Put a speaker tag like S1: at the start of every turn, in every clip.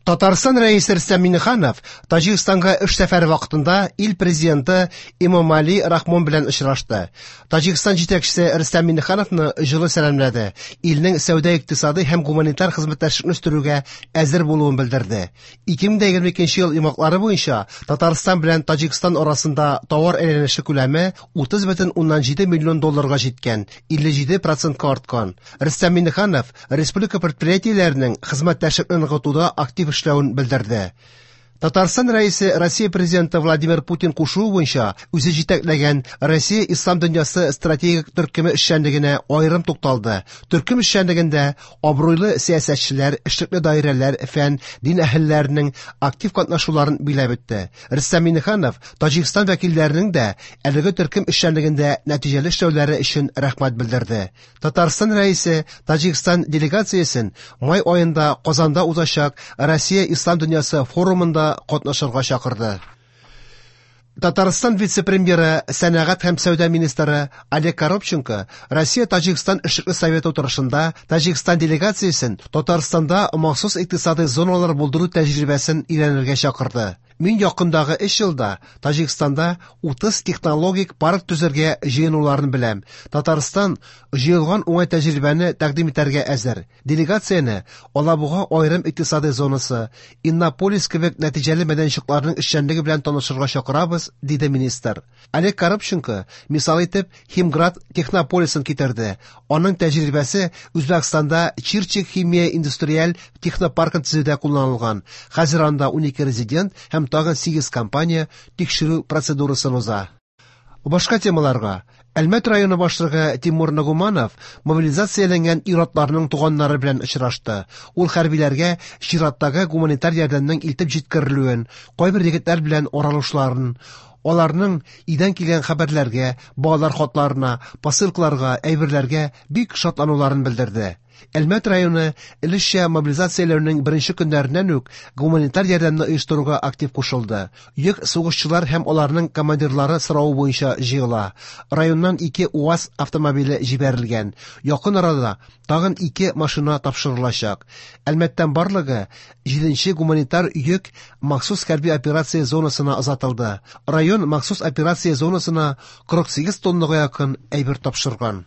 S1: Татарстан Рәисе Рөстәм Миңнеханов Таҗикстанга эш сәфәре вакытында ил президенты Эмомали Рахмон белән очрашты. Таҗикстан җитәкчесе Рөстәм Миңнехановны җылы сәламләде, илнең сәүдә-икътисадый һәм гуманитар хезмәттәшлекне үстерүгә әзер булуын белдерде. 2022 ел йомгаклары буенча Татарстан белән Таҗикстан арасында товар әйләнеше күләме 30,7 миллион долларга җиткән, 57 процентка арткан. Рөстәм Миңнеханов республика предприятиеләренең хезмәттәшлекне ныгытуда актив эшләвен белдерде. Татарстан Рәисе Россия Президенты Владимир Путин кушуы буенча үзе җитәкләгән Россия Ислам дөньясы стратегик төркеме эшчәнлегенә аерым тукталды. Төркем эшчәнлегендә абруйлы сәясәтчеләр, эшлекле даирәләр, фән, дин әһелләренең актив катнашуларын биләп үтте. Рөстәм Миңнеханов Таҗикстан вәкилләренең дә әлеге төркем эшчәнлегендә нәтиҗәле эшләүләре өчен рәхмәт белдерде. Татарстан Рәисе Таҗикстан делегациясен май аенда Казанда узачак Россия Ислам дөньясы форумында катнашырга чакырды. Татарстан вице-премьеры, сәнәгать һәм сәүдә министры Олег Коробченко Россия-Таҗикстан эшлекле советы утырышында Таҗикстан делегациясен Татарстанда махсус икътисадый зоналар булдыру тәҗрибәсен өйрәнергә чакырды. Мин якындагы 3 елда Таҗикстанда 30 технологик парк төзергә җыенуларын беләм. Татарстан җыелган уңай тәҗрибәне тәкъдим итәргә әзер. Делегацияне Алабуга аерым икътисадый зонасы, Иннополис кебек нәтиҗәле мәйданчыкларның эшчәнлеге белән танышырга чакырабыз, диде министр. Олег Коробченко мисал итеп Химград технополисын китерде. Аның тәҗрибәсе Үзбәкстанда Чирчик химия индустриаль технопаркын төзүдә кулланылган. Хәзер анда 12 резидент һәм тагын 8 компания тикшерү процедурасын уза. Башка темаларга. Әлмәт районы башлыгы Тимур Нагуманов мобилизацияләнгән ир-атларның туганнары белән очрашты. Ул хәрбиләргә чираттагы гуманитар ярдәмнең илтеп җиткерелүен, кайбер егетләр белән аралашуларын, аларның өйдән килгән хәбәрләргә, балалар хатларына, посылкаларга, әйберләргә бик шатлануларын белдерде. Әлмәт районы өлешчә мобилизацияләүнең беренче көннәреннән үк гуманитар ярдәмне оештыруга актив кушылды. Йөк сугышчылар һәм аларның командирлары соравы буенча җыела. Районнан 2 УАЗ автомобиле җибәрелгән. Якын арада тагын 2 машина тапшырылачак. Әлмәттән барлыгы 7нче гуманитар йөк махсус хәрби операция зонасына озатылды. Район махсус операция зонасына 48 тоннага якын әйбер тапшырган.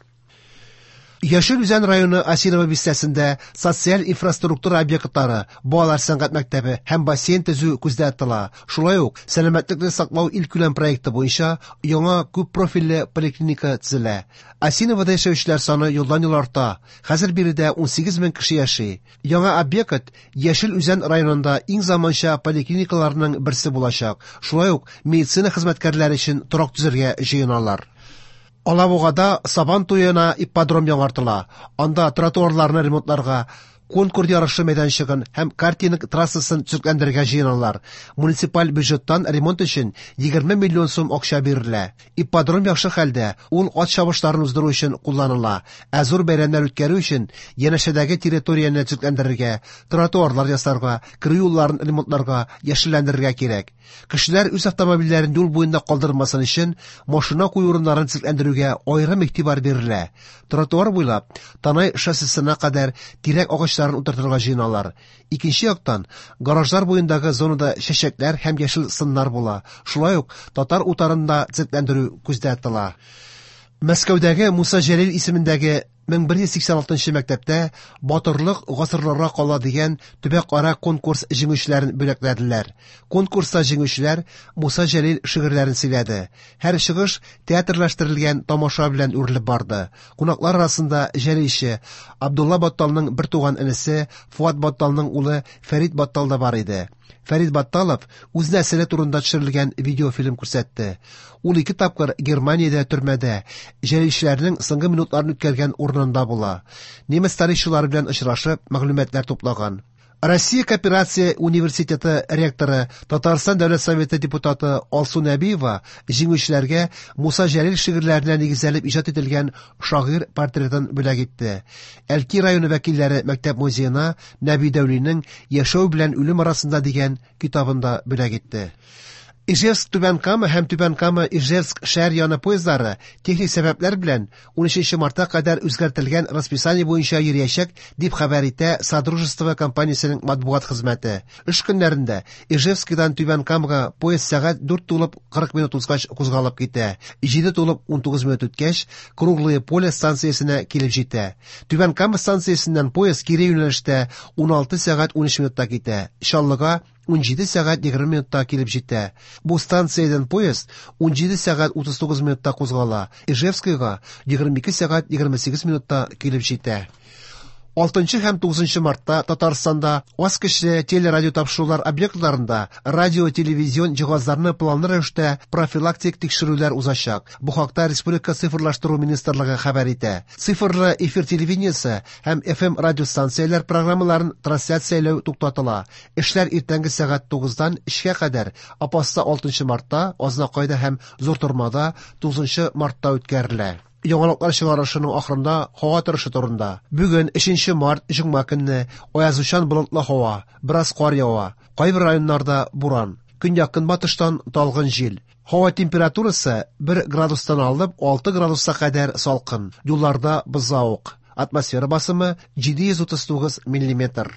S1: Яшел Үзән районы Осиново бистәсендә социаль инфраструктура объектлары, балалар сәнгать мәктәбе һәм бассейн төзү күздә тотыла. Шулай ук сәламәтлекне саклау илкүләм проекты буенча яңа күп профильле поликлиника төзелә. Осиновода яшәүчеләр саны елдан-ел арта. Хәзер биредә 18 мең кеше яши. Яңа объект Яшел Үзән районында иң заманча поликлиникаларның берсе булачак. Шулай ук медицина хезмәткәрләре өчен торак төзергә җыеналар. Алабугада Сабан туена ипподром яңартыла. Анда тротуарларны ремонтларга, конкур ярышы мәйданчыгын һәм картинг трассасын төзекләндерергә җыеналар. Муниципаль бюджеттан ремонт өчен 20 миллион сум акча бирелә. Ипподром яхшы хәлдә, ул ат чабышларын уздыру өчен кулланыла. Ә зур бәйрәмнәр үткәрү өчен янәшәдәге территорияне төзекләндерергә, тротуарлар ясарга, керү юлларын ремонтларга, яшелләндерергә кирәк. Кешеләр үз автомобильләрен юл буенда калдырмасын өчен машина кую урыннарын төзекләндерүгә аерым игътибар бирелә. Тротуар буйлап Танай шоссесына кадәр тирәк агачларын утыртырга җыеналар. Икенче яктан, гаражлар буендагы зонада чәчәкләр һәм яшел сыннар була. Шулай ук татар утарын да төзекләндерү күздә тотыла. Мәскәүдәге Муса Җәлил исемендәге 1186 мәктәптә Батырлык гасырларга кала дигән төбәкара конкурс җиңүчеләрен бүләкләделәр. Конкурста җиңүчеләр Муса Җәлил шигырьләрен сөйләде. Һәр чыгыш театрлаштырылган тамаша белән үрелеп барды. Кунаклар арасында җәлилче Абдулла Батталның бертуган энесе Фуат Батталның улы Фәрит Баттал да бар иде. Фәрит Батталов үз нәселе турында төшерелгән видеофильм күрсәтте. Ул 2 тапкыр Германиядә төрмәдә җәлилчеләрнең соңгы минутларын үткәргән урынында була. Немец тарихчылары белән очрашып, мәгълүматлар туплаган. Россия Кооперация университеты ректоры, Татарстан Дәүләт Советы депутаты Алсу Нәбиева җиңүчеләргә Муса Җәлил шигырьләренә нигезләнеп иҗат ителгән шагыйрь портретын бүләк итте. Әлки районы вәкилләре мәктәп музеена Нәби Дәүлинең Яшәү белән үлем арасында дигән китабын да бүләк итте. Ижевск Түбән Кама һәм Түбән Кама Ижевск шәһәр яны поездлары техник сәбәпләр белән 13 мартка кадәр үзгәртелгән расписание буенча йөриячәк, дип хәбәр итә Содружество компаниясенең матбугат хезмәте. Эш көннәрендә Ижевскидан Түбән Камага поезд сәгать 4 тулып 40 минут узгач кузгалып китә. 7 тулып 19 минут үткәч, Круглое поле станциясенә килеп җитә. Түбән Кама станциясеннән поезд кире юнәлештә 16 сәгать 13 минутта китә. Чаллыга 17 сәгать 20 минутта килеп җитә. Бу станциядән поезд 17 сәгать 39 минутта кузгала. Ижевскийга 22 сәгать 28 минутта килеп җитә. 6 һәм 9 мартта Татарстанда аз көчле телерадио тапшырулар объектларында радио-телевизион җиһазларны планлы рәвештә профилактик тикшерүләр узачак. Бу хакта Республика цифрлаштыру министрлыгы хәбәр итә. Цифрлы эфир телевидениесе һәм FM радиостанцияләр программаларын трансляцияләү туктатыла. Эшләр иртәнге сәгать 9-дан 3-кә кадәр Апаста 6 мартта, Азнакайда һәм Зур Тормада 9 мартта үткәрелә. Яңалыклар чыгарышының ахырында һава торышы турында. Бүген 3 март җомга көнне аязучан болытлы һава, бераз кар ява. Кайбер районнарда буран. Көньяк-көнбатыштан талгын җил. Һава температурасы 1 градустан алып 6 градуска кадәр салкын. Юлларда бозлавык. Атмосфера басымы 739 миллиметр.